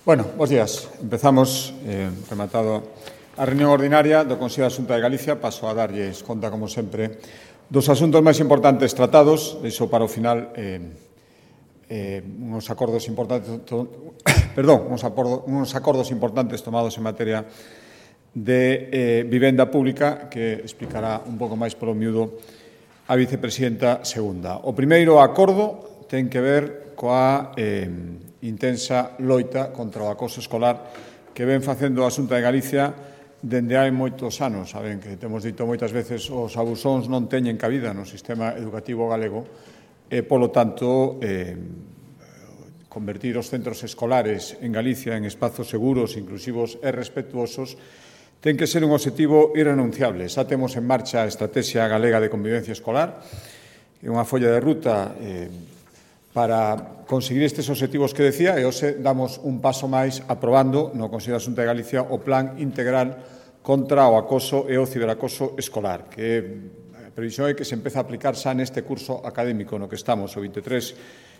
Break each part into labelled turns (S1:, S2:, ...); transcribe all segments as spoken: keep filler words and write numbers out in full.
S1: Bueno, bos días. Empezamos, eh, rematado a reunión ordinaria do Consello da Xunta de Galicia. Paso a darlles conta, como sempre, dos asuntos máis importantes tratados. Deixo para o final eh, eh, uns acordos importantes, to, perdón, uns, acordo, uns acordos importantes tomados en materia de eh, vivenda pública que explicará un pouco máis polo miúdo a vicepresidenta segunda. O primeiro acordo ten que ver coa eh, intensa loita contra o acoso escolar que ven facendo a Xunta de Galicia dende hai moitos anos. Saben que temos dito moitas veces os abusóns non teñen cabida no sistema educativo galego e, polo tanto, eh, convertir os centros escolares en Galicia en espazos seguros, inclusivos e respetuosos ten que ser un obxectivo irrenunciable. Xa temos en marcha a Estrategia Galega de Convivencia Escolar, que é unha folla de ruta eh, para conseguir estes obxectivos que decía, e hoxe damos un paso máis aprobando no Consello da Xunta de Galicia o Plan Integral contra o acoso e o ciberacoso escolar, que a previsión é que se empeza a aplicar xa neste curso académico no que estamos, o veintitrés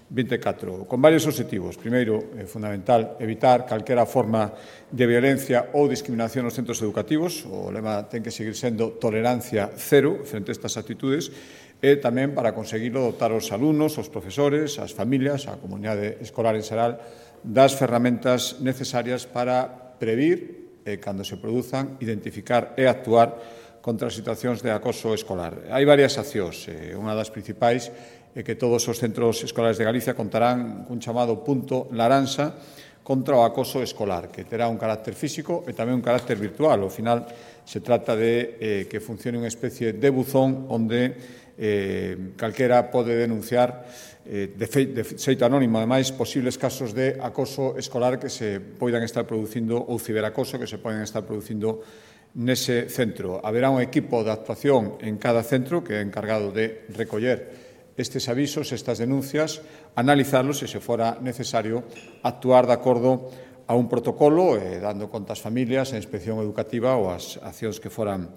S1: veinticatro, con varios obxectivos. Primeiro, é fundamental evitar calquera forma de violencia ou discriminación nos centros educativos. O lema ten que seguir sendo tolerancia cero frente a estas actitudes, e tamén para conseguirlo dotar os alumnos, os profesores, as familias, a comunidade escolar en xeral das ferramentas necesarias para previr e, cando se produzan, identificar e actuar contra as situacións de acoso escolar. Hai varias accións. Unha das principais é que todos os centros escolares de Galicia contarán cun chamado punto laranxa contra o acoso escolar, que terá un carácter físico e tamén un carácter virtual. Ao final, se trata de eh, que funcione unha especie de buzón onde Eh, calquera pode denunciar eh, de, fe, de xeito anónimo, ademais, posibles casos de acoso escolar que se poidan estar producindo ou ciberacoso que se poden estar producindo nese centro. Haberá un equipo de actuación en cada centro que é encargado de recoller estes avisos, estas denuncias, analizarlos e, se fora necesario, actuar de acordo a un protocolo, eh, dando conta ás familias, a inspección educativa ou as accións que foran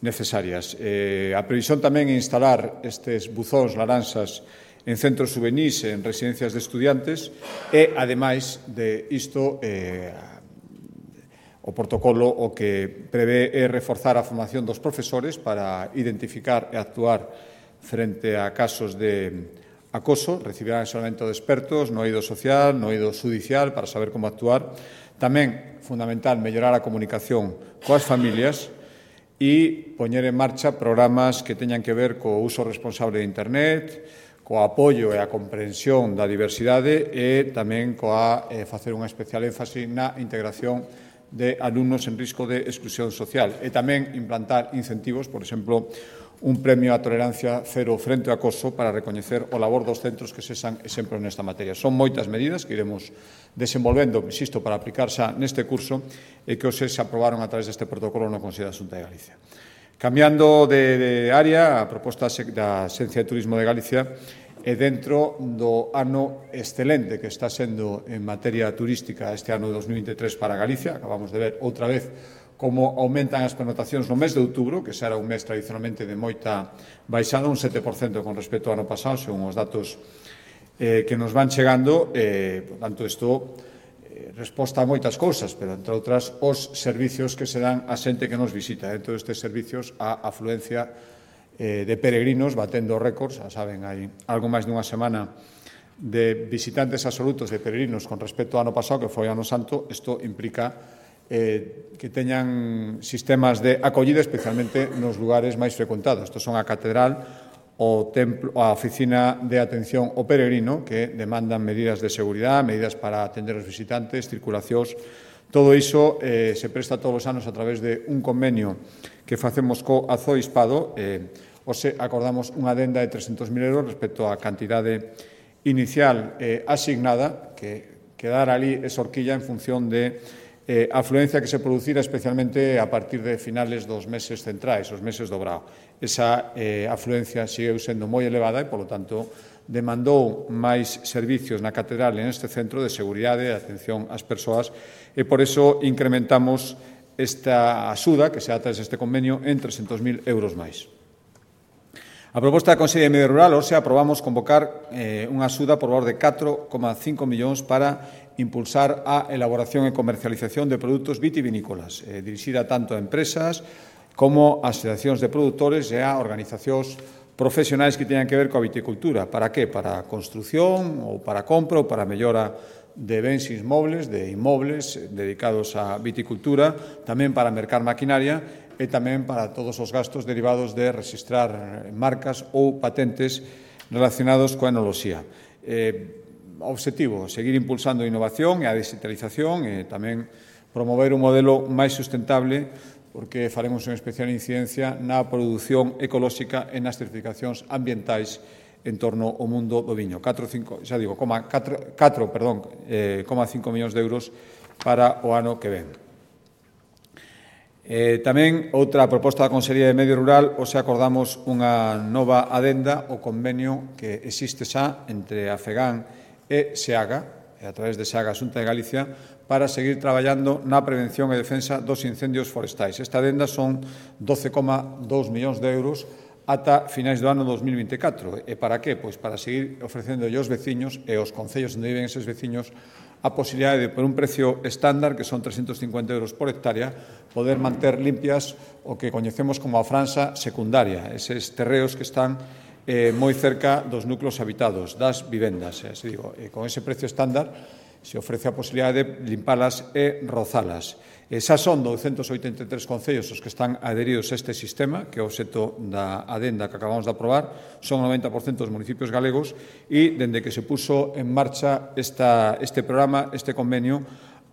S1: necesarias. Eh, a previsión tamén é instalar estes buzóns laranxas en centros juvenís e en residencias de estudiantes e, ademais de isto, eh, o protocolo o que prevé é reforzar a formación dos profesores para identificar e actuar frente a casos de acoso. Recibirán asesoramento de expertos no eido social, no eido judicial, para saber como actuar. Tamén, fundamental, mellorar a comunicación coas familias e poñer en marcha programas que teñan que ver co uso responsable de Internet, co apoio e a comprensión da diversidade e tamén coa eh, facer unha especial énfase na integración de alumnos en risco de exclusión social e tamén implantar incentivos, por exemplo, un premio á tolerancia cero frente ao acoso para recoñecer o labor dos centros que sexan exemplos nesta materia. Son moitas medidas que iremos desenvolvendo, insisto, para aplicar xa neste curso e que hoxe se aprobaron a través deste protocolo no Consello da Xunta de Galicia. Cambiando de, de área, a proposta da Xencia de Turismo de Galicia é dentro do ano excelente que está sendo en materia turística este ano de dos mil veintitrés para Galicia. Acabamos de ver outra vez como aumentan as connotacións no mes de outubro, que xa era un mes tradicionalmente de moita baixada, un sete por cento con respecto ao ano pasado, según os datos eh, que nos van chegando. Eh, por tanto, isto eh, resposta a moitas cousas, pero, entre outras, os servicios que se dan a xente que nos visita. Dentro destes servicios, a afluencia eh, de peregrinos batendo récords. Xa saben, hai algo máis dunha semana de visitantes absolutos de peregrinos con respecto ao ano pasado, que foi o ano santo. Isto implica Eh, que teñan sistemas de acollida, especialmente nos lugares máis frecuentados. Estos son a catedral, o templo, a oficina de atención ao peregrino, que demandan medidas de seguridade, medidas para atender os visitantes, circulacións. Todo iso eh, se presta todos os anos a través de un convenio que facemos co Azoispado. Eh, hoxe acordamos unha adenda de trescentos mil euros respecto á cantidade inicial eh, asignada, que quedara ali esa horquilla en función de Eh, a afluencia que se producira especialmente a partir de finales dos meses centrais, os meses do verao. Esa eh, afluencia sigue sendo moi elevada e, polo tanto, demandou máis servicios na catedral en este centro de seguridade e de atención ás persoas e, por iso, incrementamos esta axuda, que se a través deste convenio, en trescentos mil euros máis. A proposta da Consellería de Medio Rural, hoxe aprobamos convocar eh, unha axuda por valor de catro coma cinco millóns para impulsar a elaboración e comercialización de produtos vitivinícolas, eh, dirixida tanto a empresas como a asociacións de produtores e a organizacións profesionais que teñan que ver coa viticultura. Para que? Para a construción ou para a compra ou para a mellora de bens inmobles, de inmobles dedicados á viticultura, tamén para mercar maquinaria e tamén para todos os gastos derivados de registrar marcas ou patentes relacionados coa enoloxía. Eh, Obxectivo, seguir impulsando a innovación e a digitalización e tamén promover un modelo máis sustentable, porque faremos unha especial incidencia na produción ecolóxica e nas certificacións ambientais en torno ao mundo do viño. catro, cinco, xa digo, catro, perdón, eh, cinco millóns de euros para o ano que ven. Eh, tamén, outra proposta da Consellería de Medio Rural, hoxe acordamos unha nova adenda ao convenio que existe xa entre a FEGAN e SEAGA, e a través de SEAGA, a Xunta de Galicia, para seguir traballando na prevención e defensa dos incendios forestais. Esta adenda son doce coma dous millóns de euros ata finais do ano dos mil vinte e catro. E para que? Pois para seguir ofrecendo aos veciños e aos concellos onde viven eses veciños a posibilidade de, por un precio estándar, que son trescentos cincuenta euros por hectárea, poder manter limpias o que coñecemos como a franxa secundaria, eses terreos que están eh, moi cerca dos núcleos habitados, das vivendas. Eh, se digo, eh, con ese precio estándar se ofrece a posibilidade de limpalas e rozalas. E xa son douscentos oitenta e tres concellos os que están adheridos a este sistema, que é o obxecto da adenda que acabamos de aprobar, son o noventa por cento dos municipios galegos, e dende que se puso en marcha esta, este programa, este convenio,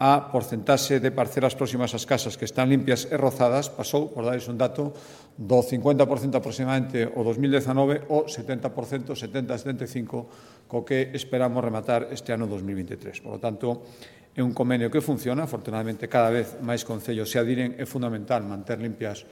S1: a porcentaxe de parcelas próximas ás casas que están limpias e rozadas pasou, por dares un dato, do cincuenta por cento aproximadamente o dos mil dezanove ao setenta por cento, setenta a setenta e cinco por cento, co que esperamos rematar este ano dos mil vinte e tres. Por lo tanto, é un convenio que funciona, afortunadamente cada vez máis concellos se adiren, é fundamental manter limpias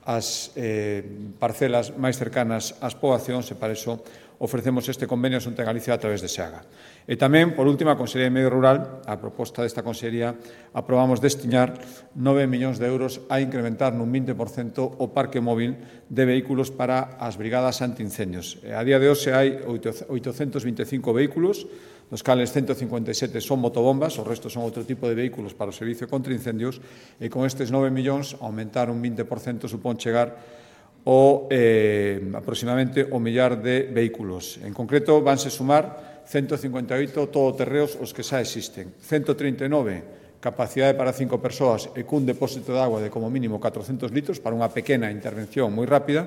S1: as eh, parcelas máis cercanas ás poboacións e para iso ofrecemos este convenio a Xunta de Galicia a través de SEAGA. E tamén, por último, a Consellería de Medio Rural, a proposta desta Consellería, aprobamos destinar nove millóns de euros a incrementar nun vinte por cento o parque móvil de vehículos para as brigadas antiincendios. A día de hoxe hai oitocentos vinte e cinco vehículos, dos cales ciento cincuenta e sete son motobombas, o resto son outro tipo de vehículos para o servicio contra incendios, e con estes nove millóns, aumentar un vinte por cento supón chegar o eh, aproximadamente o millar de vehículos. En concreto, vanse sumar ciento cincuenta e oito todoterreos os que xa existen, ciento trinta e nove capacidade para cinco persoas e cun depósito de agua de como mínimo catrocentos litros para unha pequena intervención moi rápida,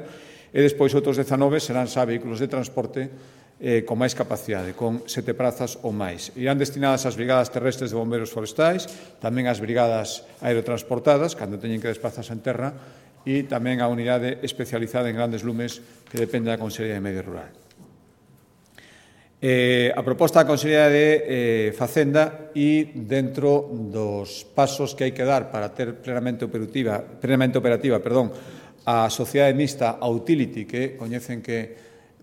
S1: e despois outros dezanove serán xa vehículos de transporte eh, con máis capacidade, con sete prazas ou máis. Irán destinadas ás brigadas terrestres de bombeiros forestais, tamén ás brigadas aerotransportadas, cando teñen que desplazarse en terra, e tamén a unidade especializada en grandes lumes que depende da Consellería de Medio Rural. Eh, a proposta da Consellería de eh, Facenda e dentro dos pasos que hai que dar para ter plenamente operativa, plenamente operativa perdón, a sociedade mixta, a Utility, que coñecen que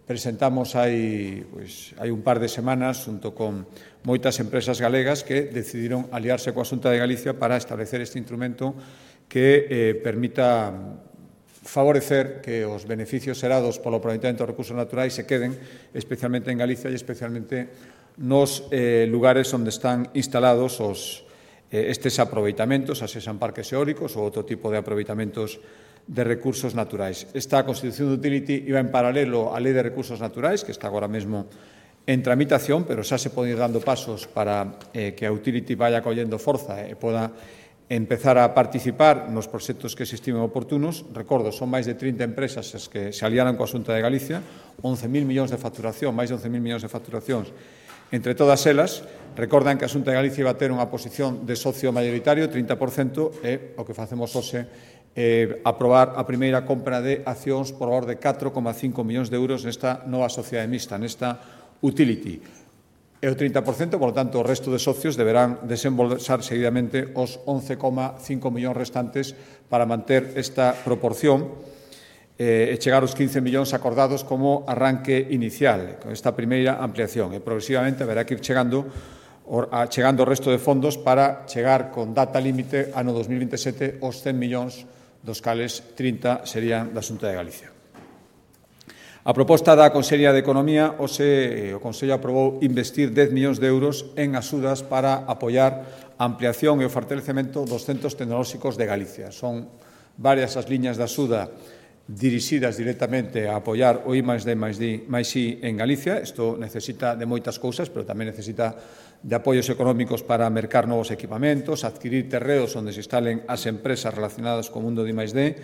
S1: presentamos hai, pois, hai un par de semanas junto con moitas empresas galegas que decidiron aliarse coa Xunta de Galicia para establecer este instrumento que eh, permita favorecer que os beneficios xerados polo aproveitamento dos recursos naturais se queden especialmente en Galicia e especialmente nos eh, lugares onde están instalados os, eh, estes aproveitamentos, as sean parques eólicos ou outro tipo de aproveitamentos de recursos naturais. Esta Constitución de Utility iba en paralelo á Lei de Recursos Naturais, que está agora mesmo en tramitación, pero xa se poden ir dando pasos para eh, que a Utility vaya collendo forza e poda empezar a participar nos proxectos que se estimen oportunos. Recordo, son máis de trinta empresas as que se aliaran coa Xunta de Galicia, once mil millóns de facturación, máis de once mil millóns de facturacións entre todas elas. Recordan que a Xunta de Galicia iba a ter unha posición de socio maioritario, trinta por cento, e o que facemos hoxe é aprobar a primeira compra de accións por valor de catro coma cinco millóns de euros nesta nova sociedade mixta, nesta Utility. E o trinta por cento, por lo tanto, o resto de socios deberán desembolsar seguidamente os once coma cinco millóns restantes para manter esta proporción e chegar aos quince millóns acordados como arranque inicial, con esta primeira ampliación. E progresivamente haberá que ir chegando, chegando o resto de fondos para chegar con data límite ano dos mil vinte e sete aos cen millóns, dos cales trinta serían da Xunta de Galicia. A proposta da Consellería de Economía, hoxe o Consello aprobou investir dez millóns de euros en axudas para apoiar a ampliación e o fortalecemento dos centros tecnolóxicos de Galicia. Son varias as liñas de axuda dirixidas directamente a apoiar o I máis D máis I en Galicia. Isto necesita de moitas cousas, pero tamén necesita de apoios económicos para mercar novos equipamentos, adquirir terreos onde se instalen as empresas relacionadas co mundo de I máis D,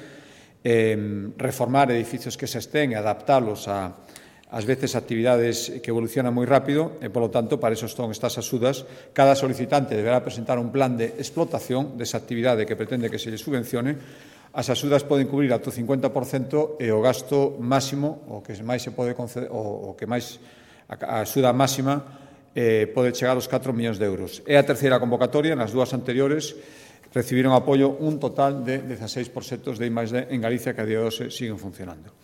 S1: eh, reformar edificios que se estén e adaptalos a, ás veces, actividades que evolucionan moi rápido e, polo tanto, para eso son estas axudas. Cada solicitante deberá presentar un plan de explotación desa actividade que pretende que se lle subvencione. As axudas poden cubrir ata o cincuenta por cento e o gasto máximo, o que máis se pode conceder, o, o que máis, a axuda máxima eh, pode chegar aos catro millóns de euros. É a terceira convocatoria, nas dúas anteriores recibiron apoio un total de dezaseis proxectos de I máis D en Galicia que a día de hoxe siguen funcionando.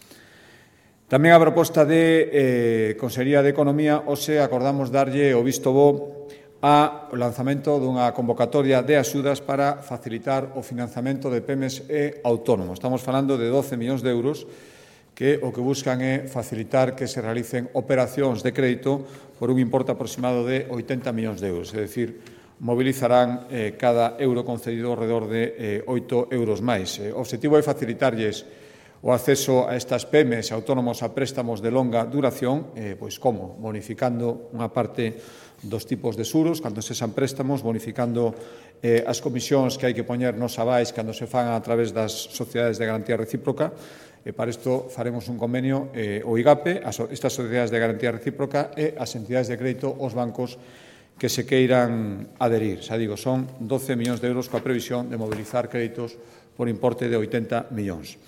S1: Tamén a proposta de eh, Consellería de Economía, hoxe acordamos darlle o visto bo ao lanzamento dunha convocatoria de axudas para facilitar o financiamento de pemes e autónomos. Estamos falando de doce millóns de euros que o que buscan é facilitar que se realicen operacións de crédito por un importe aproximado de oitenta millóns de euros, é dicir, mobilizarán eh, cada euro concedido alrededor de eh, oito euros máis. Eh, o objetivo é facilitarlles o acceso a estas pemes autónomos a préstamos de longa duración, eh, pois como? Bonificando unha parte dos tipos de xuros cando se san préstamos, bonificando eh, as comisións que hai que poñer nos avais cando se fan a través das sociedades de garantía recíproca. E para isto faremos un convenio, eh, o I G A P, as, estas sociedades de garantía recíproca e as entidades de crédito, os bancos que se queiran adherir. Xa digo, son doce millóns de euros coa previsión de mobilizar créditos por importe de oitenta millóns.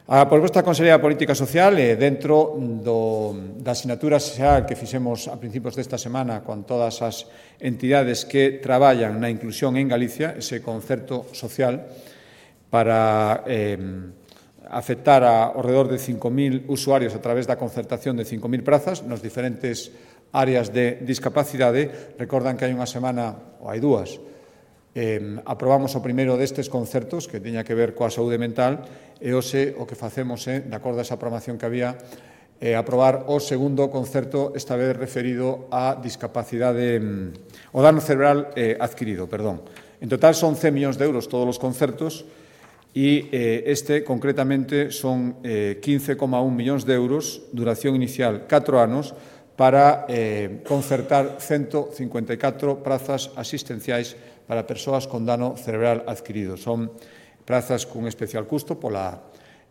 S1: A proposta da Consellería de Política Social, eh, dentro do, da asignatura xeral que fixemos a principios desta semana con todas as entidades que traballan na inclusión en Galicia, ese concerto social para eh, afectar a ao redor de cinco mil usuarios a través da concertación de cinco mil prazas nos diferentes áreas de discapacidade. Recordan que hai unha semana, ou hai dúas, eh, aprobamos o primeiro destes concertos que tiña que ver coa saúde mental e hoxe o que facemos é, de acordo a esa programación que había, eh, aprobar o segundo concerto, esta vez referido á discapacidade, o dano cerebral eh, adquirido, perdón. En total son cen millóns de euros todos os concertos e eh, este concretamente son eh, quince coma un millóns de euros, duración inicial catro anos, para eh, concertar ciento cincuenta e catro prazas asistenciais para persoas con dano cerebral adquirido. Son prazas cun especial custo pola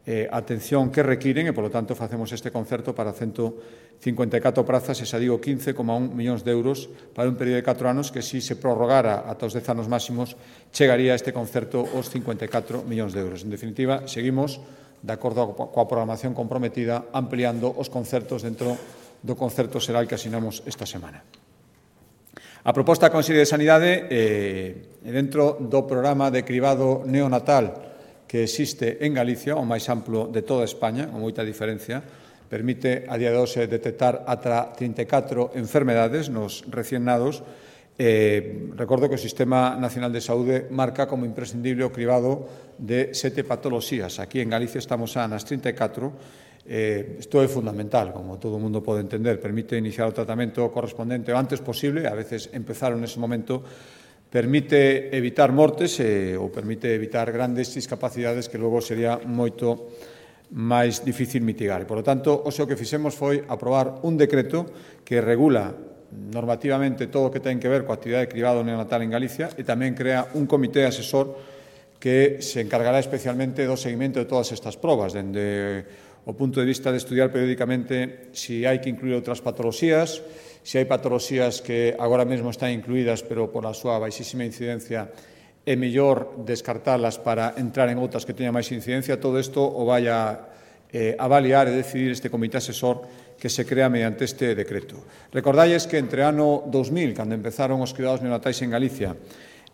S1: eh, atención que requiren e, polo tanto, facemos este concerto para ciento cincuenta e catro prazas, e xa digo, quince coma un millóns de euros para un período de catro anos que, se se prorrogara ata os dez anos máximos, chegaría a este concerto os cincuenta e catro millóns de euros. En definitiva, seguimos, de acordo coa programación comprometida, ampliando os concertos dentro do concerto xeral que asinamos esta semana. A proposta da Consellería de Sanidade, eh, dentro do programa de cribado neonatal que existe en Galicia, o máis amplo de toda España, con moita diferencia, permite a día de hoxe detectar ata trinta e catro enfermedades nos recién nados. Eh, recordo que o Sistema Nacional de Saúde marca como imprescindible o cribado de sete patoloxías. Aquí en Galicia estamos a nas trinta e catro. Eh, isto é fundamental, como todo o mundo pode entender. Permite iniciar o tratamento correspondente o antes posible, a veces empezar nese momento, permite evitar mortes eh, ou permite evitar grandes discapacidades que logo sería moito máis difícil mitigar. E, por lo tanto, o que fixemos foi aprobar un decreto que regula normativamente todo o que ten que ver coa actividade de cribado neonatal en Galicia e tamén crea un comité asesor que se encargará especialmente do seguimento de todas estas probas, dende o punto de vista de estudiar periódicamente se hai que incluir outras patoloxías, se hai patoloxías que agora mesmo están incluídas pero por a súa baixísima incidencia é mellor descartalas para entrar en outras que teñan máis incidencia. Todo isto o vai a eh, avaliar e decidir este comité asesor que se crea mediante este decreto. Recordalles que entre ano dos mil, cando empezaron os cribados neonatais en Galicia,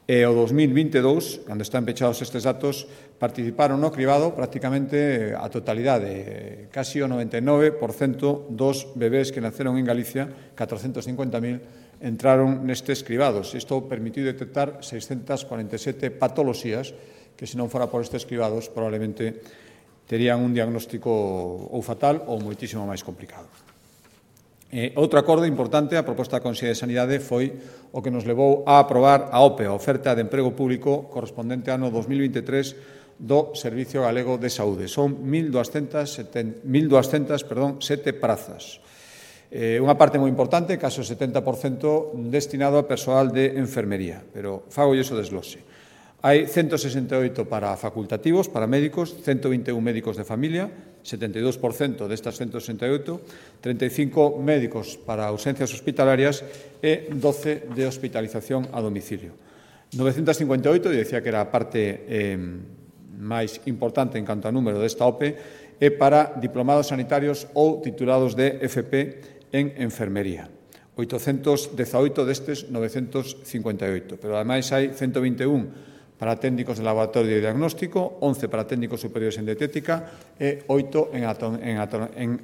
S1: e o dos mil vinte e dous, cando están pechados estes datos, participaron no cribado prácticamente a totalidade, casi o noventa e nove por cento dos bebés que naceron en Galicia, catrocentos cincuenta mil, entraron nestes cribados. Isto permitiu detectar seiscentas cuarenta e sete patoloxías que, se non fora por estes cribados, probablemente terían un diagnóstico ou fatal ou moitísimo máis complicado. Eh, outro acordo importante, a proposta da Consellería de Sanidade, foi o que nos levou a aprobar a O P E, a Oferta de Emprego Público correspondente ao ano dos mil veintitrés do Servicio Galego de Saúde. Son mil duascentas sete prazas. Eh, unha parte moi importante, case o setenta por cento, destinado a persoal de enfermería, pero fago iso desglose. Hai ciento sesenta e oito para facultativos, para médicos, ciento vinte e un médicos de familia, setenta e dous por cento destas ciento sesenta e oito, treinta e cinco médicos para ausencias hospitalarias e doce de hospitalización a domicilio. novecentas cincuenta e oito, e decía que era a parte eh, máis importante en canto a número desta O P E, é para diplomados sanitarios ou titulados de F P en enfermería. oitocentos dezaoito destes novecentos cincuenta e oito, pero ademais hai ciento vinte e un para técnicos de laboratorio de diagnóstico, once para técnicos superiores en dietética e oito en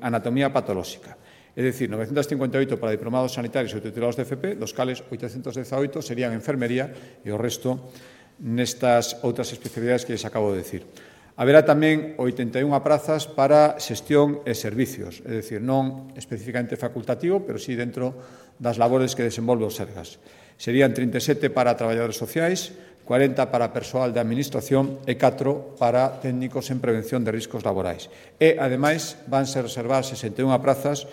S1: anatomía patolóxica. É dicir, novecentos cincuenta e oito para diplomados sanitarios ou titulados de F P, dos cales oitocentos dezaoito serían enfermería e o resto nestas outras especialidades que les acabo de decir. Haberá tamén oitenta e unha prazas para xestión e servicios, é dicir, non especificamente facultativo, pero sí dentro das labores que desenvolve o Sergas. Serían trinta e sete para traballadores sociais, cuarenta para persoal de administración e catro para técnicos en prevención de riscos laborais. E, ademais, vanse reservar sesenta e unha prazas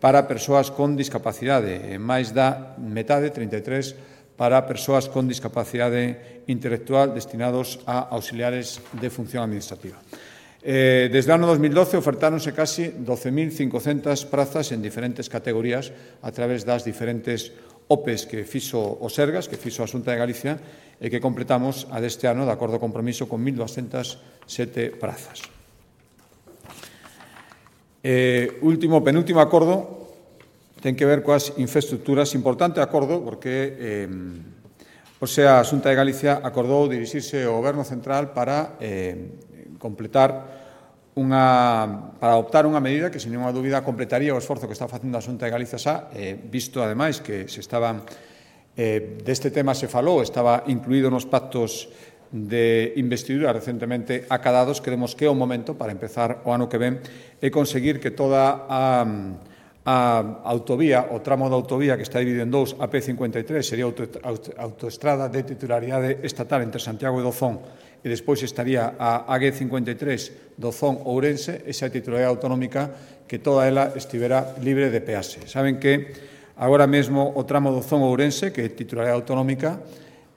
S1: para persoas con discapacidade, e máis da metade, trinta e tres, para persoas con discapacidade intelectual destinados a auxiliares de función administrativa. Eh, desde o ano dos mil doce ofertáronse casi doce mil cincocentas prazas en diferentes categorías a través das diferentes O P Es que fixo o Sergas, que fixo a Xunta de Galicia, e que completamos a deste ano de acordo compromiso con mil duascentas sete prazas. Eh, último, penúltimo acordo ten que ver coas infraestructuras. Importante acordo porque eh, o sea, a Xunta de Galicia acordou dirixirse ao Goberno Central para eh, completar unha, para adoptar unha medida que, sin ninguna dúbida, completaría o esforzo que está facendo a Xunta de Galicia xa, eh, visto, ademais, que se estaban Eh, deste tema se falou, estaba incluído nos pactos de investidura recentemente acadados. Creemos que é o momento para empezar o ano que ven e conseguir que toda a, a autovía, o tramo da autovía que está dividido en dous, a P cincuenta e tres, sería auto, auto, autoestrada de titularidade estatal entre Santiago e Dozón, e despois estaría a A G cincuenta e tres Dozón-Ourense, esa titularidade autonómica, que toda ela estivera libre de peaxe. Saben que agora mesmo o tramo Dozón-Ourense, que é titularidade autonómica,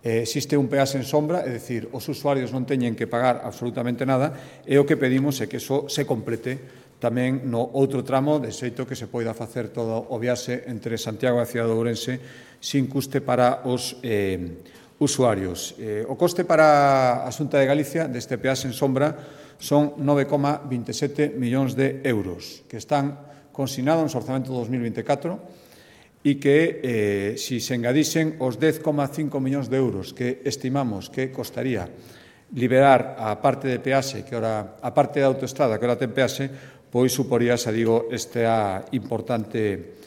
S1: eh, existe un peaxe en sombra, é dicir, os usuarios non teñen que pagar absolutamente nada, e o que pedimos é que iso se complete tamén no outro tramo, de xeito que se poida facer todo o viaxe entre Santiago e a cidade de Ourense sin custe para os eh, usuarios. Eh, o coste para a Xunta de Galicia deste peaxe en sombra son nove coma vinte e sete millóns de euros, que están consignados no orzamento do dos mil vinte e catro, e que, eh, si se engadisen os dez coma cinco millóns de euros que estimamos que costaría liberar a parte de peaxe, que ora, a parte da autoestrada que ora ten peaxe, pois suporía, xa digo, esta importante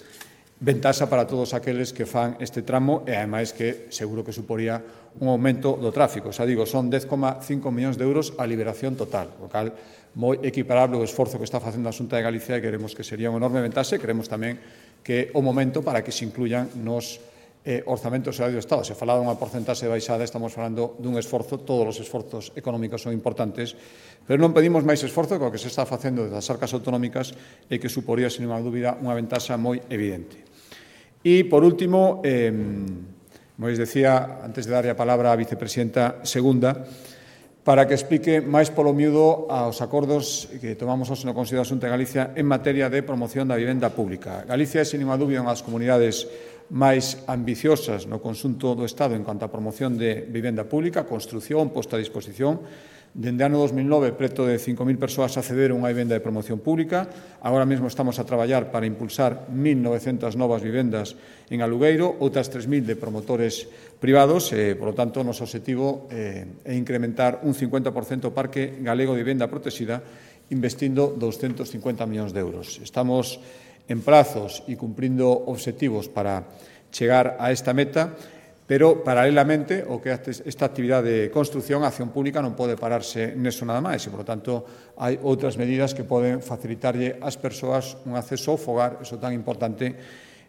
S1: ventaxa para todos aqueles que fan este tramo, e, ademais, que seguro que suporía un aumento do tráfico. Xa digo, son dez coma cinco millóns de euros a liberación total, o cal moi equiparable o esforzo que está facendo a Xunta de Galicia, e queremos que sería unha enorme ventaxe. Queremos tamén que o momento para que se incluyan nos eh, orzamentos do Estado. Se falaba dunha porcentaxe baixada, estamos falando dun esforzo. Todos os esforzos económicos son importantes, pero non pedimos máis esforzo que o que se está facendo desde as arcas autonómicas, e que suporía, sin unha dúbida, unha ventaxa moi evidente. E, por último, eh, como les decía, antes de darle a palabra á vicepresidenta segunda, para que explique máis polo miúdo aos acordos que tomamos hoxe no Consello da Xunta de Galicia en materia de promoción da vivenda pública. Galicia é, sin ninguna dúbida, unha das comunidades máis ambiciosas no conxunto do Estado en cuanto a promoción de vivenda pública, construción, posta a disposición. Dende o ano dos mil nove, preto de cinco mil persoas accederon a unha vivenda de promoción pública. Agora mesmo estamos a traballar para impulsar mil novecentas novas vivendas en alugueiro, outras tres mil de promotores privados. E, por lo tanto, o noso objetivo eh, é incrementar un cincuenta por cento o parque galego de vivenda protexida, investindo doscentos cincuenta millóns de euros. Estamos en prazos e cumprindo obxectivos para chegar a esta meta. Pero, paralelamente, o que esta actividade de construción, a acción pública non pode pararse neso nada máis e, por lo tanto, hai outras medidas que poden facilitarlle ás persoas un acceso ao fogar, iso tan importante,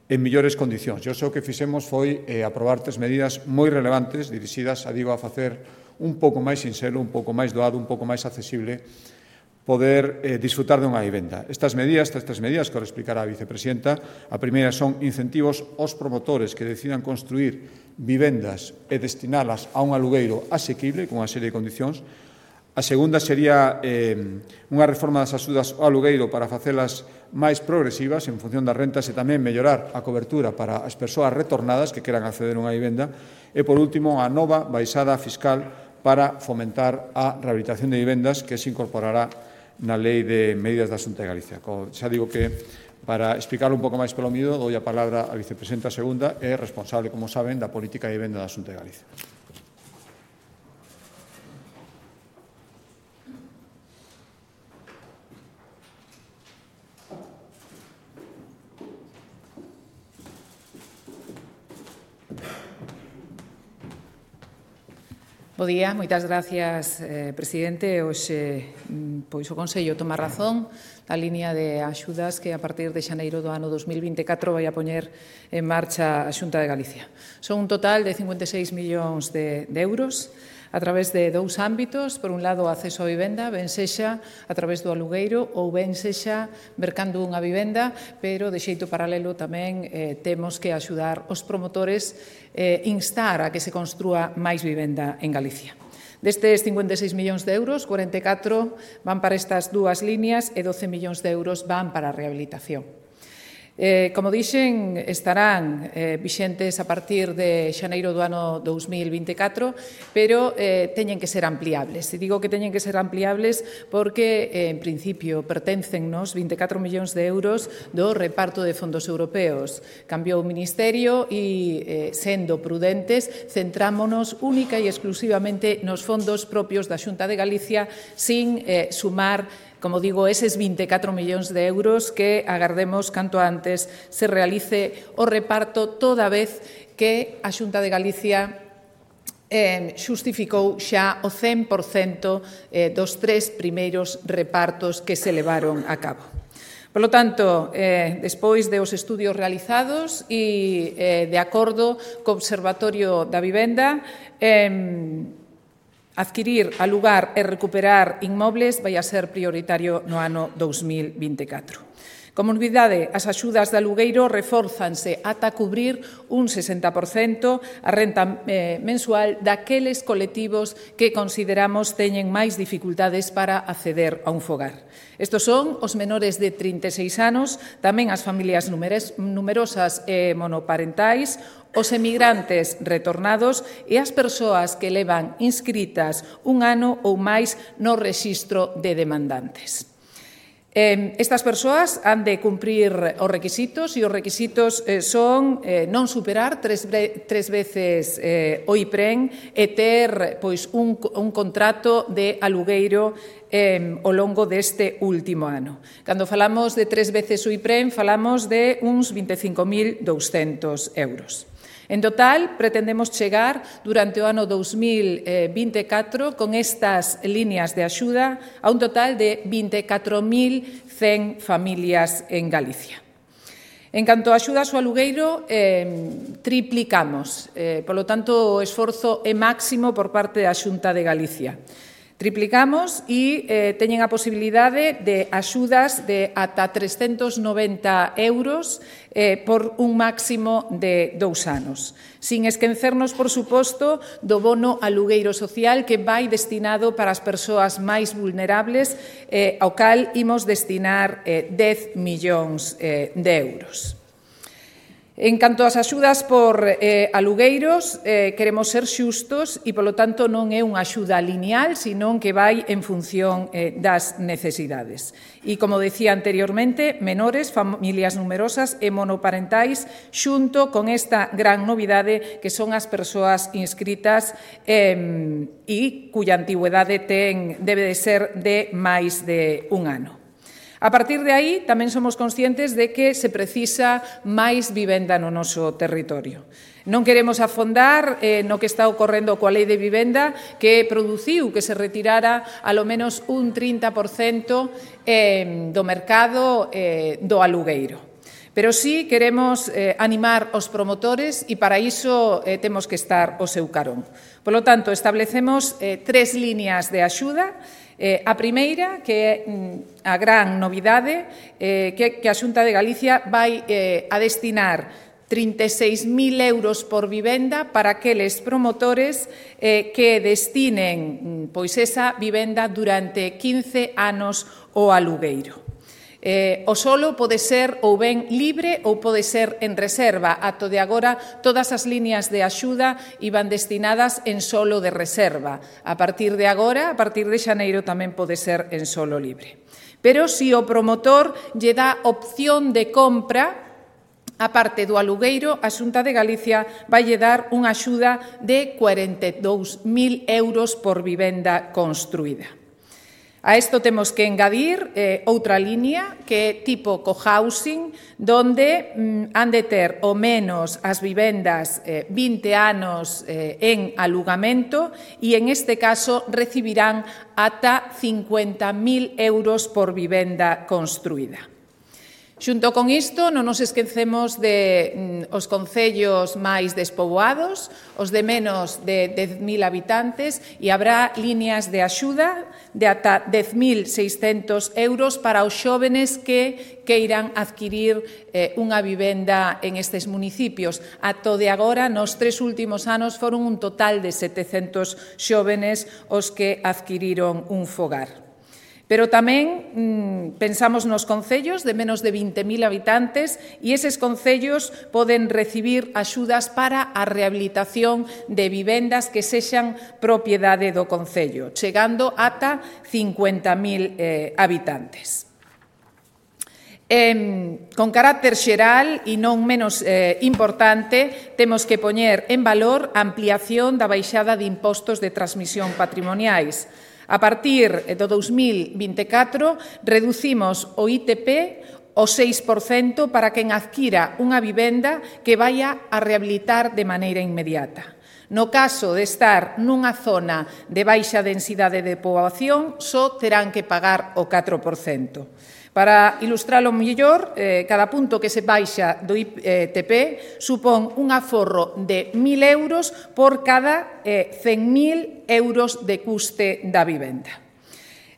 S1: en millores condicións. Eu sei o que fixemos foi eh, aprobar tres medidas moi relevantes dirixidas, a digo, a facer un pouco máis sinxelo, un pouco máis doado, un pouco máis accesible poder eh, disfrutar dunha vivenda. Estas medidas, estas tres medidas que ahora explicará a vicepresidenta, a primeira son incentivos aos promotores que decidan construir vivendas e destinalas a un alugueiro asequible, con unha serie de condicións. A segunda sería eh, unha reforma das axudas ao alugueiro para facelas máis progresivas en función das rentas e tamén mellorar a cobertura para as persoas retornadas que queran acceder a unha vivenda. E, por último, a nova baixada fiscal para fomentar a rehabilitación de vivendas que se incorporará na Lei de Medidas da Xunta de Galicia. Xa digo que, para explicarlo un pouco máis pelo miúdo, dou a palabra á vicepresidenta segunda e responsable, como saben, da política de vivenda da Xunta de Galicia.
S2: Bo día, moitas gracias, eh, presidente. Hoxe, pois, o Consello toma razón da liña de axudas que a partir de xaneiro do ano dos mil vinte e catro vai a poñer en marcha a Xunta de Galicia. Son un total de cincuenta e seis millóns de, de euros a través de dous ámbitos. Por un lado, o acceso á vivenda, ben sexa a través do alugueiro ou ben sexa mercando unha vivenda, pero de xeito paralelo tamén eh, temos que axudar os promotores eh, instar a que se construa máis vivenda en Galicia. Destes cincuenta e seis millóns de euros, cuarenta e catro van para estas dúas líneas e doce millóns de euros van para a rehabilitación. Eh, como dixen, estarán eh, vixentes a partir de xaneiro do ano dos mil vinte e catro, pero eh, teñen que ser ampliables. E digo que teñen que ser ampliables porque, eh, en principio, perténcennos vinte e catro millóns de euros do reparto de fondos europeos. Cambiou o Ministerio e, eh, sendo prudentes, centrámonos única e exclusivamente nos fondos propios da Xunta de Galicia sin eh, sumar, como digo, eses vinte e catro millóns de euros que agardemos canto antes se realice o reparto, toda vez que a Xunta de Galicia eh, xustificou xa o cen por cento eh, dos tres primeiros repartos que se levaron a cabo. Por lo tanto, eh, despois de os estudios realizados e eh, de acordo co Observatorio da Vivenda, eh, adquirir, alugar e recuperar inmobles vai a ser prioritario no ano dos mil vinte e catro. Como novidade, as axudas de alugueiro refórzanse ata cubrir un sesenta por cento a renta eh, mensual daqueles colectivos que consideramos teñen máis dificultades para acceder a un fogar. Estos son os menores de trinta e seis anos, tamén as familias numerosas e monoparentais, os emigrantes retornados e as persoas que levan inscritas un ano ou máis no rexistro de demandantes. Eh, estas persoas han de cumprir os requisitos e os requisitos eh, son eh, non superar tres, tres veces eh, o IPREN e ter pois, un, un contrato de alugueiro eh, ao longo deste último ano. Cando falamos de tres veces o IPREN, falamos de uns vinte e cinco mil douscentos euros. En total, pretendemos chegar durante o ano dos mil vinte e catro con estas líneas de axuda a un total de vinte e catro mil cen familias en Galicia. En canto a axudas ao alugueiro, eh, triplicamos. Eh, polo tanto, o esforzo é máximo por parte da Xunta de Galicia. Triplicamos e eh, teñen a posibilidade de axudas de ata trescentos noventa euros eh, por un máximo de dous anos. Sin esquecernos, por suposto, do bono alugueiro social que vai destinado para as persoas máis vulnerables, eh, ao cal imos destinar eh, dez millóns eh, de euros. En canto ás axudas por eh, alugueiros, eh, queremos ser xustos e, polo tanto, non é unha axuda lineal, senón que vai en función eh, das necesidades. E, como decía anteriormente, menores, familias numerosas e monoparentais, xunto con esta gran novidade que son as persoas inscritas eh, e cuya antigüedade ten, debe de ser de máis de un ano. A partir de aí, tamén somos conscientes de que se precisa máis vivenda no noso territorio. Non queremos afondar eh, no que está ocorrendo coa lei de vivenda, que produciu que se retirara a lo menos un trinta por cento eh, do mercado eh, do alugueiro. Pero sí queremos eh, animar os promotores e para iso eh, temos que estar ao seu carón. Por lo tanto, establecemos eh, tres líneas de axuda. Eh, a primeira, que é mm, a gran novidade, eh, que, que a Xunta de Galicia vai eh, a destinar trinta e seis mil euros por vivenda para aqueles promotores eh, que destinen pois esa vivenda durante quince anos ao alugueiro. Eh, o solo pode ser ou ben libre ou pode ser en reserva. Ato de agora, todas as líneas de axuda iban destinadas en solo de reserva. A partir de agora, a partir de xaneiro, tamén pode ser en solo libre. Pero se o promotor lle dá opción de compra, a parte do alugueiro, a Xunta de Galicia vai lle dar unha axuda de cuarenta e dous mil euros por vivenda construída. A isto temos que engadir eh, outra línea que é tipo cohousing, donde mm, han de ter o menos as vivendas eh, vinte anos eh, en alugamento e en este caso recibirán ata cincuenta mil euros por vivenda construída. Xunto con isto, non nos esquecemos de mm, os concellos máis despoboados, os de menos de dez mil habitantes, e habrá líneas de axuda de ata dez mil seiscentos euros para os xóvenes que queiran adquirir eh, unha vivenda en estes municipios. Ato de agora, nos tres últimos anos, foron un total de setecentos xóvenes os que adquiriron un fogar. Pero tamén mmm, pensamos nos concellos de menos de vinte mil habitantes e eses concellos poden recibir axudas para a rehabilitación de vivendas que sexan propiedade do concello, chegando ata cincuenta mil eh, habitantes. Eh, con carácter xeral e non menos eh, importante, temos que poñer en valor a ampliación da baixada de impostos de transmisión patrimoniais. A partir do dous mil vinte e catro, reducimos o I T P ao seis por cento para quen adquira unha vivenda que vaya a rehabilitar de maneira inmediata. No caso de estar nunha zona de baixa densidade de poboación, só terán que pagar o catro por cento. Para ilustralo mellor, eh, cada punto que se baixa do I T P supón un aforro de mil euros por cada eh, cen mil euros de custe da vivenda.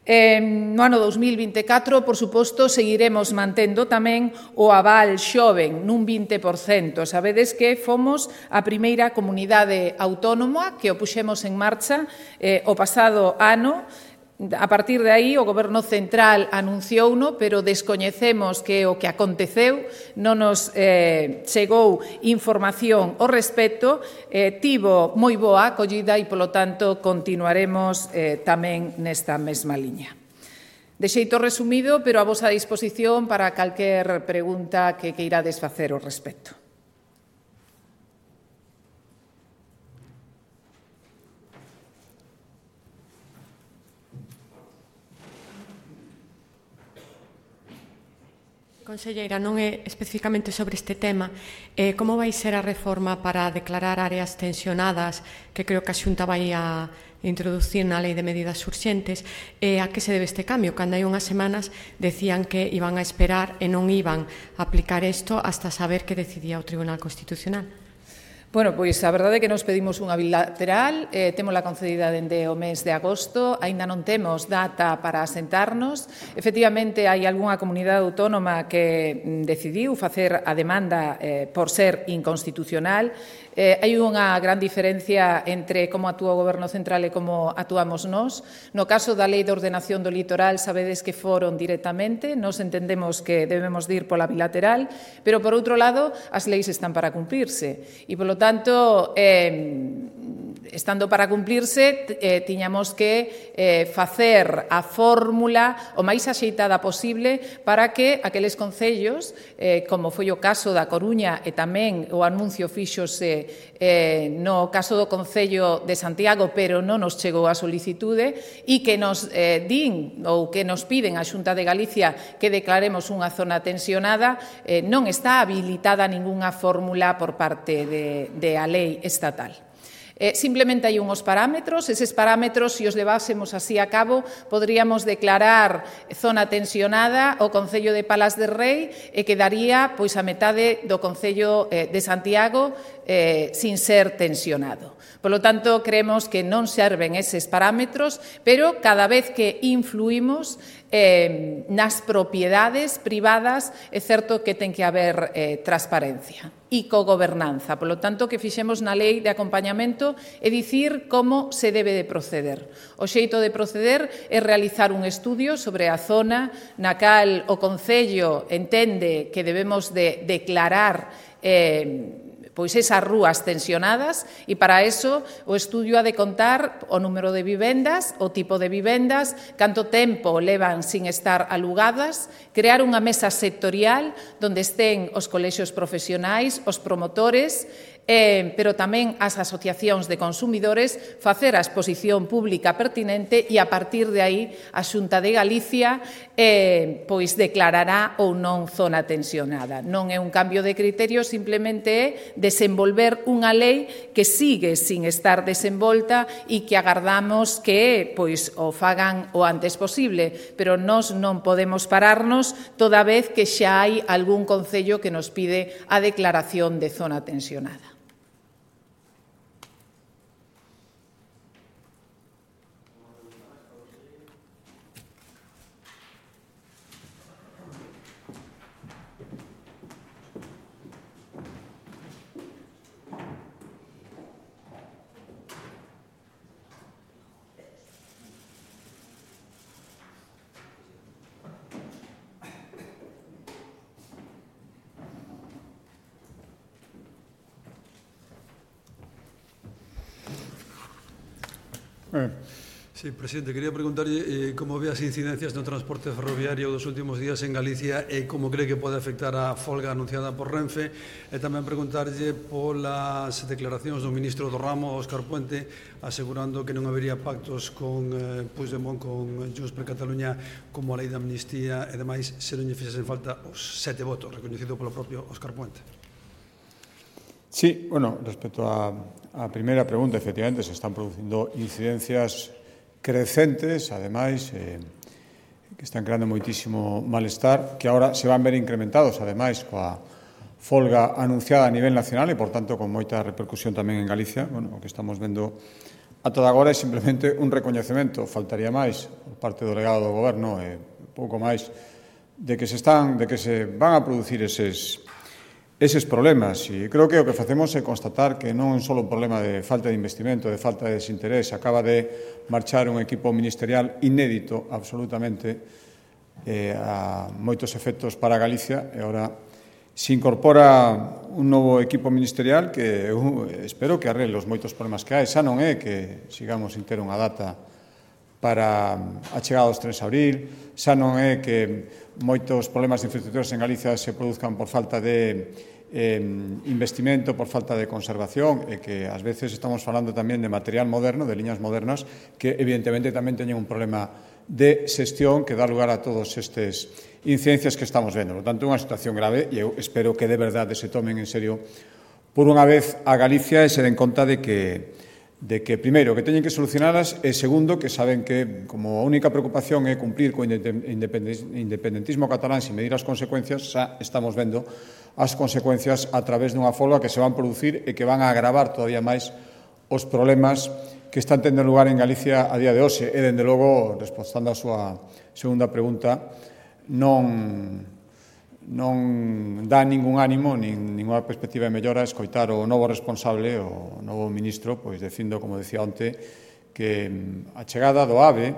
S2: Eh, no ano dous mil vinte e catro, por suposto, seguiremos mantendo tamén o aval xoven nun vinte por cento. Sabedes que fomos a primeira comunidade autónoma que o puxemos en marcha eh, o pasado ano. A partir de aí, o Goberno Central anunciouno, pero descoñecemos que o que aconteceu, non nos eh, chegou información ao respecto, eh, tivo moi boa acollida e, polo tanto, continuaremos eh, tamén nesta mesma liña. De xeito resumido, pero a vosa disposición para calquer pregunta que queirades facer ao respecto.
S3: Conselleira, non é especificamente sobre este tema, eh, como vai ser a reforma para declarar áreas tensionadas, que creo que a Xunta vai a introducir na Lei de Medidas Urxentes, e a que se debe este cambio? Cando hai unhas semanas decían que iban a esperar e non iban a aplicar isto hasta saber que decidía o Tribunal Constitucional.
S2: Bueno, pois a verdade é que nos pedimos unha bilateral, eh, témola concedida dende o mes de agosto, aínda non temos data para asentarnos. Efectivamente, hai algunha comunidade autónoma que decidiu facer a demanda eh, por ser inconstitucional. Eh, hai unha gran diferencia entre como actúa o Goberno Central e como actuamos nós. No caso da Lei de Ordenación do Litoral, sabedes que foron directamente, nos entendemos que debemos de ir pola bilateral, pero, por outro lado, as leis están para cumplirse. E, polo tanto, eh, estando para cumplirse, eh, tiñamos que eh, facer a fórmula o máis axeitada posible para que aqueles concellos, eh, como foi o caso da Coruña e tamén o anuncio fíxose eh, no caso do Concello de Santiago, pero non nos chegou a solicitude, e que nos eh, din ou que nos piden a Xunta de Galicia que declaremos unha zona tensionada, eh, non está habilitada ningunha fórmula por parte de, de a lei estatal. Eh, simplemente hai unhos parámetros, eses parámetros, se os levásemos así a cabo, podríamos declarar zona tensionada o Concello de Palas de Rei e quedaría pois a metade do Concello eh, de Santiago eh, sin ser tensionado. Por lo tanto, creemos que non serven eses parámetros, pero cada vez que influímos eh, nas propiedades privadas, é certo que ten que haber eh, transparencia e cogobernanza. Por lo tanto, que fixemos na lei de acompañamento é dicir como se debe de proceder. O xeito de proceder é realizar un estudio sobre a zona na cal o Concello entende que debemos de declarar eh, pois esas rúas tensionadas, e para eso o estudio ha de contar o número de vivendas, o tipo de vivendas, canto tempo levan sin estar alugadas, crear unha mesa sectorial onde estén os colexios profesionais, os promotores, Eh, pero tamén as asociacións de consumidores, facer a exposición pública pertinente e a partir de aí a Xunta de Galicia eh, pois declarará ou non zona tensionada. Non é un cambio de criterio, simplemente é desenvolver unha lei que sigue sin estar desenvolta e que agardamos que pois o fagan o antes posible, pero nós non podemos pararnos toda vez que xa hai algún concello que nos pide a declaración de zona tensionada.
S4: Sí, presidente, quería preguntarlle eh, como ve as incidencias no transporte ferroviario dos últimos días en Galicia e como cree que pode afectar a folga anunciada por Renfe, e tamén preguntarlle polas declaracións do ministro do ramo, Óscar Puente, asegurando que non habería pactos con eh, Puigdemont, con Junts per Cataluña, como a lei de amnistía e demais, se non lle fixesen falta os sete votos, recoñecido polo propio Óscar Puente.
S1: Sí, bueno, respecto a, a primeira pregunta, efectivamente, se están producindo incidencias crecentes, ademais, eh, que están creando moitísimo malestar, que agora se van ver incrementados, ademais, coa folga anunciada a nivel nacional e, por tanto, con moita repercusión tamén en Galicia. Bueno, o que estamos vendo ata agora é simplemente un recoñecemento, faltaría máis, por parte do delegado do Goberno, e pouco máis, de que se están, de que se van a producir eses eses problemas. E creo que o que facemos é constatar que non é só un problema de falta de investimento, de falta de desinterés. Acaba de marchar un equipo ministerial inédito, absolutamente, eh, a moitos efectos para Galicia, e agora se incorpora un novo equipo ministerial que eu espero que arregle os moitos problemas que hai. Xa non é que sigamos sin ter unha data para a chegada dos tres de abril, xa non é que moitos problemas de infraestructuras en Galicia se produzcan por falta de eh, investimento, por falta de conservación, e que ás veces estamos falando tamén de material moderno, de liñas modernas, que evidentemente tamén teñen un problema de xestión que dá lugar a todos estes incidencias que estamos vendo. Por tanto, é unha situación grave e eu espero que de verdade se tomen en serio por unha vez a Galicia e se den conta de que de que, primeiro, que teñen que solucionalas e, segundo, que saben que, como a única preocupación é cumplir co independentismo catalán sin medir as consecuencias, xa estamos vendo as consecuencias a través dunha folga que se van producir e que van a agravar todavía máis os problemas que están tendo lugar en Galicia a día de hoxe. E, dende logo, respondendo a súa segunda pregunta, non... non dá ningún ánimo, nin ninguna perspectiva de mellora escoitar o novo responsable, o novo ministro, pois dicindo, como decía onte, que a chegada do AVE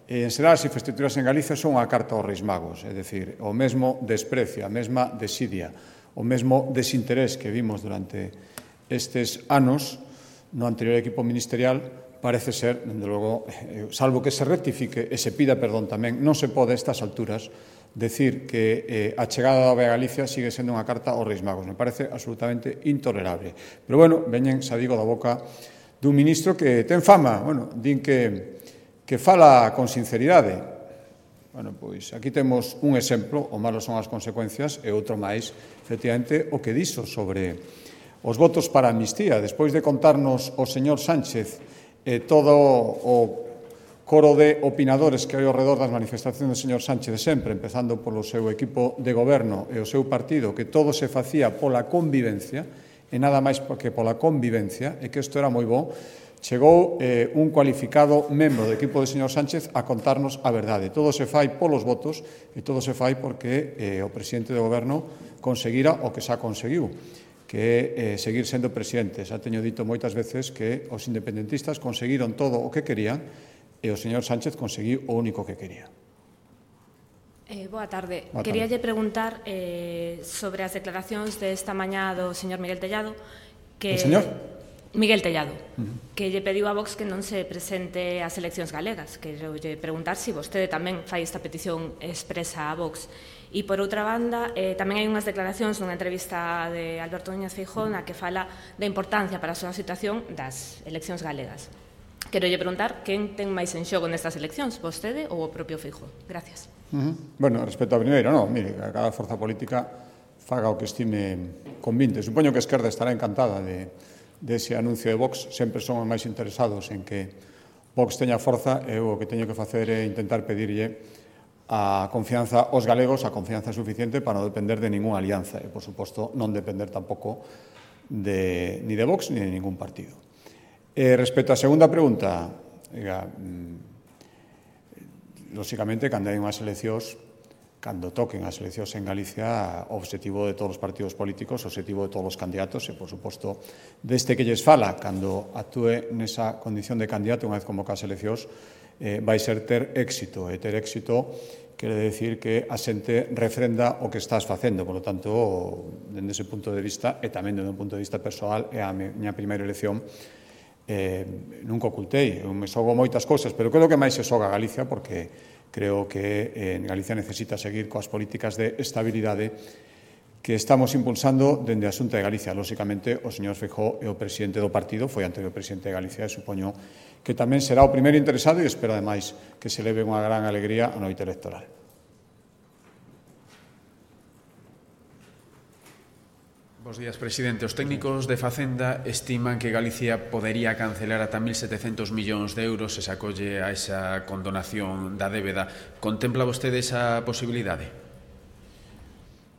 S1: e en xeral as infraestructuras en Galicia son unha carta aos Reis Magos, é dicir, o mesmo desprecio, a mesma desidia, o mesmo desinterés que vimos durante estes anos no anterior equipo ministerial, parece ser, dende logo, salvo que se rectifique e se pida perdón tamén, non se pode a estas alturas decir que eh, a chegada da A V E a Galicia sigue sendo unha carta aos Reis Magos. Me parece absolutamente intolerable. Pero, bueno, veñen, xa digo, da boca dun ministro que ten fama, bueno, din que, que fala con sinceridade. Bueno, pois aquí temos un exemplo, o malo son as consecuencias, e outro máis, efectivamente, o que dixo sobre os votos para a amnistía. Despois de contarnos o señor Sánchez e todo o coro de opinadores que hai ao redor das manifestacións do señor Sánchez de sempre, empezando polo seu equipo de goberno e o seu partido, que todo se facía pola convivencia, e nada máis que pola convivencia, e que isto era moi bo, chegou eh, un cualificado membro do equipo do señor Sánchez a contarnos a verdade. Todo se fai polos votos e todo se fai porque eh, o presidente do goberno conseguira o que xa conseguiu, que é eh, seguir sendo presidente. Xa teño dito moitas veces que os independentistas conseguiron todo o que querían e o señor Sánchez conseguiu o único que quería.
S5: Eh, boa tarde.
S1: Boa tarde.
S5: Queríalle preguntar eh, sobre as declaracións desta mañá do señor Miguel Tellado. Que...
S1: O señor?
S5: Miguel Tellado,
S1: uh-huh.
S5: que lle pediu a Vox que non se presente ás eleccións galegas. Quero lle preguntar se vostede tamén fai esta petición expresa a Vox. E, por outra banda, eh, tamén hai unhas declaracións nunha entrevista de Alberto Núñez Feijóo na que fala da importancia para a súa situación das eleccións galegas. Quero lle preguntar quen ten máis en xogo nestas eleccións, vostede ou o propio Feijóo. Gracias.
S1: Uh-huh. Bueno, respecto a primeiro, non, mire, a cada forza política faga o que estime convinte. Supoño que a esquerda estará encantada de, de ese anuncio de Vox. Sempre son os máis interesados en que Vox teña forza e eu o que teño que facer é intentar pedirlle a confianza aos galegos, a confianza suficiente para non depender de ninguna alianza e, por suposto, non depender tampouco de, ni de Vox ni de ningún partido. E, respecto á segunda pregunta, diga, mm, lóxicamente, cando hai unhas eleccións, cando toquen as eleccións en Galicia, o obxectivo de todos os partidos políticos, o obxectivo de todos os candidatos e, por suposto, deste que lles fala, cando actúe nesa condición de candidato unha vez convocadas as eleccións, eh, vai ser ter éxito. E ter éxito quere decir que a xente refrenda o que estás facendo. Por lo tanto, dende ese punto de vista, e tamén dende un punto de vista persoal, é a miña primeira elección, eh, nunca ocultei. Eu me xogo moitas cousas, pero creo que máis se xoga Galicia, porque creo que eh, Galicia necesita seguir coas políticas de estabilidade que estamos impulsando dende a Xunta de Galicia. Lóxicamente, o señor Feijóo é o presidente do partido, foi anterior presidente de Galicia, e supoño que tamén será o primeiro interesado e espero, ademais, que se leve unha gran alegría a noite electoral.
S6: Bos días, presidente. Os técnicos de Facenda estiman que Galicia podería cancelar ata mil setecentos millóns de euros se se acolle a esa condonación da débeda. Contempla vostede esa posibilidade?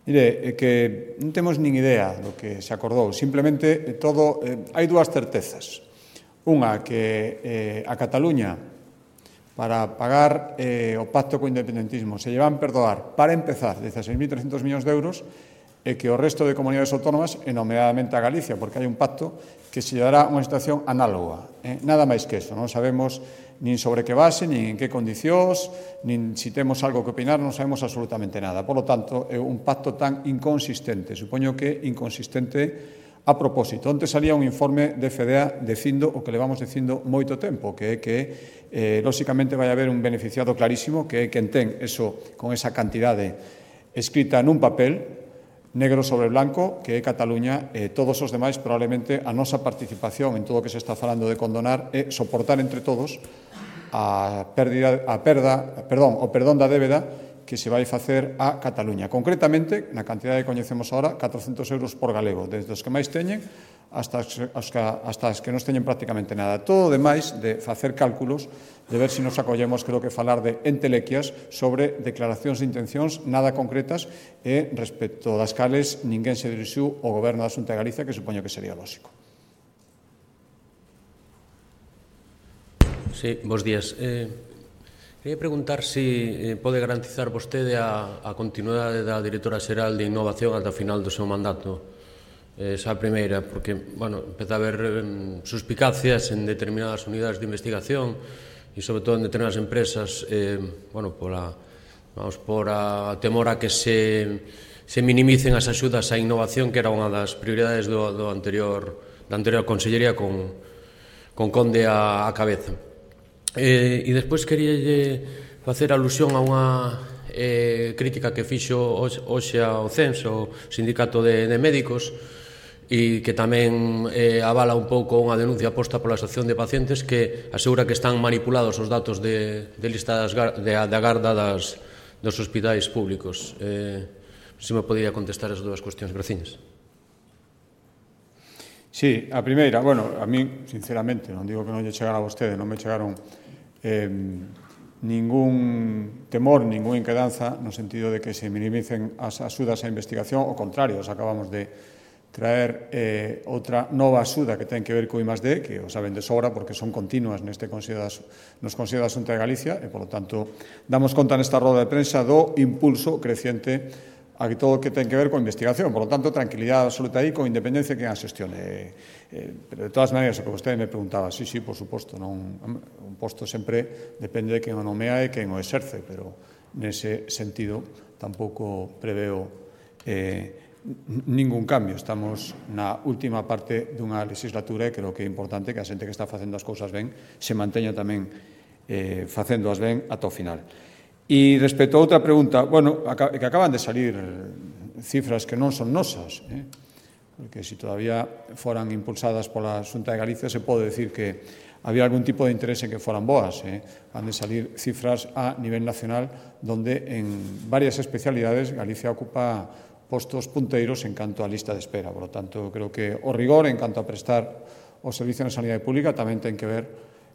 S1: Mire, é que non temos nin idea do que se acordou. Simplemente, todo, eh, hai dúas certezas. Unha, que eh, a Cataluña, para pagar eh, o pacto co independentismo, se llevan perdoar, para empezar, dieciséis mil trescentos millóns de euros, e que o resto de comunidades autónomas, e nomeadamente a Galicia, porque hai un pacto que se lle dará unha situación análoga. Eh? Nada máis que eso. Non sabemos nin sobre que base, nin en que condicións, nin se temos algo que opinar, non sabemos absolutamente nada. Por lo tanto, é un pacto tan inconsistente. Supoño que inconsistente a propósito. Onte salía un informe de F E D A dicindo o que levamos dicindo moito tempo, que é que, eh, lóxicamente, vai haber un beneficiado clarísimo, que é quen ten eso, con esa cantidade escrita nun papel, negro sobre blanco, que é Cataluña, e todos os demais, probablemente, a nosa participación en todo o que se está falando de condonar é soportar entre todos a pérdida, a perda, perdón, o perdón da débeda que se vai facer a Cataluña. Concretamente, na cantidade que coñecemos agora, catrocentos euros por galego, desde os que máis teñen hasta as, hasta as que non teñen prácticamente nada. Todo o demais de facer cálculos, de ver se nos acollemos, creo que falar de entelequias sobre declaracións de intencións nada concretas e respecto das cales ninguén se dirixiu ao Goberno da Xunta de Galicia, que supoño que sería lógico.
S7: Sí, bos días. Eh... Quería preguntar se eh, pode garantizar vostede a, a continuidade da directora xeral de Innovación ata o final do seu mandato. Eh, esa primeira, porque, bueno, empeza a haber eh, suspicacias en determinadas unidades de investigación e, sobre todo, en determinadas empresas, eh, bueno, pola, vamos, por a temor a que se, se minimicen as axudas á innovación, que era unha das prioridades do, do anterior, da anterior consellería con con conde a, a cabeza. E, e despois queríalle facer alusión a unha eh, crítica que fixo hoxe ao C E N S, o Sindicato de, de Médicos, e que tamén eh, avala un pouco unha denuncia posta pola Asociación de Pacientes que asegura que están manipulados os datos de, de lista das, de, de agarda das, dos hospitais públicos. Eh, se me podía contestar as dúas cuestións, graciñas.
S1: Sí, a primeira, bueno, a mí, sinceramente, non digo que non lle chegara a vostede, non me chegaron eh, ningún temor, ninguna inquedanza no sentido de que se minimicen as axudas á investigación, ao contrario, os acabamos de traer eh, outra nova axuda que ten que ver co I más D, que o saben de sobra porque son continuas neste Consello das, nos Consello da Xunta de Galicia e, polo tanto, damos conta nesta roda de prensa do impulso creciente a todo o que ten que ver con investigación. Por lo tanto, tranquilidade absoluta aí, con independencia que a xestione. Eh, pero, de todas maneiras, o que vostede me preguntaba, sí, sí, por suposto, non, un posto sempre depende de quen o nomea e quen o exerce, pero nese sentido tampouco preveo eh, ningún cambio. Estamos na última parte dunha legislatura e creo que é importante que a xente que está facendo as cousas ben se manteña tamén eh, facéndoas ben ata o final. E respecto a outra pregunta, bueno, que acaban de salir cifras que non son nosas, eh? porque se todavía foran impulsadas pola Xunta de Galicia se pode decir que había algún tipo de interés en que foran boas. Eh? Han de salir cifras a nivel nacional donde en varias especialidades Galicia ocupa postos punteiros en canto a lista de espera. Por lo tanto, creo que o rigor en canto a prestar o servicio na sanidade pública tamén ten que ver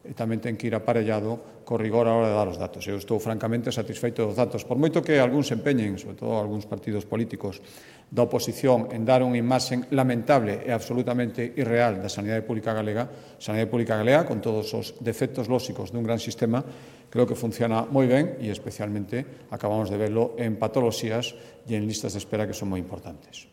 S1: e tamén ten que ir aparellado co rigor a hora de dar os datos. Eu estou francamente satisfeito dos datos. Por moito que algúns se empeñen, sobre todo algúns partidos políticos da oposición, en dar unha imaxe lamentable e absolutamente irreal da sanidade pública galega, a sanidade pública galega, con todos os defectos lóxicos dun gran sistema, creo que funciona moi ben e especialmente acabamos de verlo en patoloxías e en listas de espera que son moi importantes.